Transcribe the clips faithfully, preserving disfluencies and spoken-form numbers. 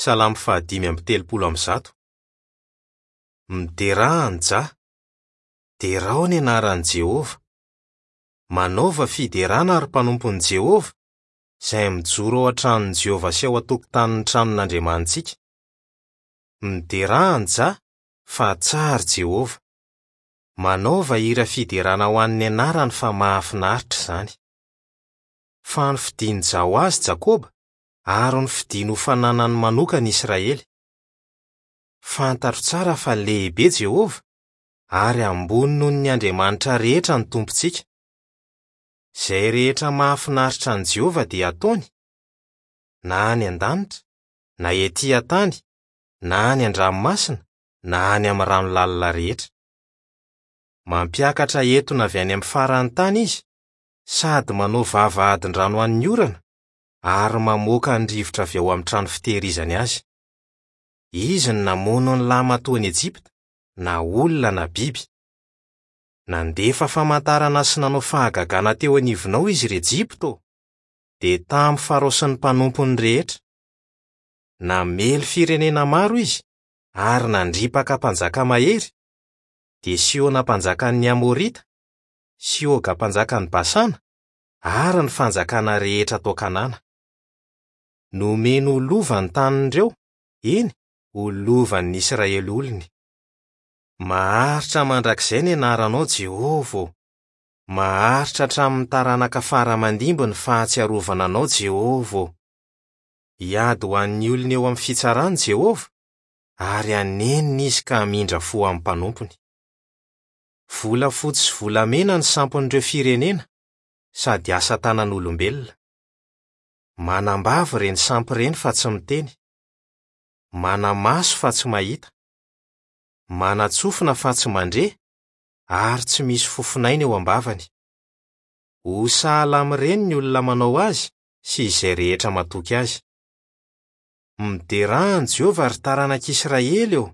Salamo fahadimy amby telopolo amby zato. Miderà an'i Jah. Derao ny anaran'i Jehovah. Manaova fiderana ry mpanompon'i Jehovah, izay mijoro ao an-tranon'i Jehovah sy ao an-tokotanin'ny tranon'Andriamanitsika. Miderà an'i Jah, fa tsara Jehovah. Manaova hira fiderana ho an'ny anarany fa mahafinaritra izany. Fa nofidin'i Jah ho azy Jakoba, ary nofidiny ho fananany manokana Israely. Fantatro tsara fa lehibe Jehovah, ary ambony noho ny andriamanitra rehetra ny Tompontsika. Izay rehetra mahafinaritra an'i Jehovah dia ataony, na any an-danitra, na ety an-tany, na any an-dranomasina, na any amin'ny rano lalina rehetra. Mampiakatra etona avy any amin'ny faran'ny tany izy, sady manao vavahadin-drano ho an'ny orana, ary mamoaka ny rivotra avy ao amin'ny trano fitehirizany azy. Izy no namono ny lahimatoan'i Ejipta, na olona na biby. Nandefa famantarana sy nanao fahagagana teo anivonao izy ry Ejipta ô, dia tamin'ny Farao sy ny mpanompony rehetra. Namely firenena maro izy ary nandripaka mpanjaka mahery, dia Sihona mpanjakan'ny Amorita, sy Oga mpanjakan'i Basana, ary ny fanjakana rehetra tao Kanana. Nomeny ho lova ny tanin'ireo, eny, ho lovan'ny Israely olony. Maharitra mandrakizay ny anaranao Jehovah ô. Maharitra hatramin'ny taranaka fara aman-dimby ny fahatsiarovana anao Jehovah ô. Hiady ho an'ny olony eo amin'ny fitsarany Jehovah, ary hanenina izy ka hamindra fo amin'ny mpanompony. Volafotsy sy volamena ny sampon'ireo firenena, sady asa tanan'olombelona. Manambavy ireny sampy ireny fa tsy miteny. Manamaso fa tsy mahita. Manatsofina fa tsy mandre, ary tsy misy fofonaina eo am-bavany. Ho sahala amin'ireny ny olona manao azy sy izay rehetra matoky azy. Miderà an'i Jehovah ry taranak'Israely ô!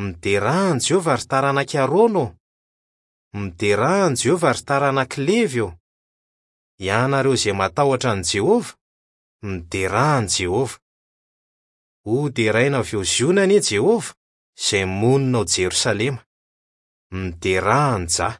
Miderà an'i Jehovah ry taranak'i Arona ô! Miderà an'i Jehovah ry taranak'i Levy ô! Ianareo izay matahotra an'i Jehovah, miderà an'i Jehovah. Ho deraina avy eo Ziona anie Jehovah, izay monina ao Jerosalema. Miderà an'i Jah.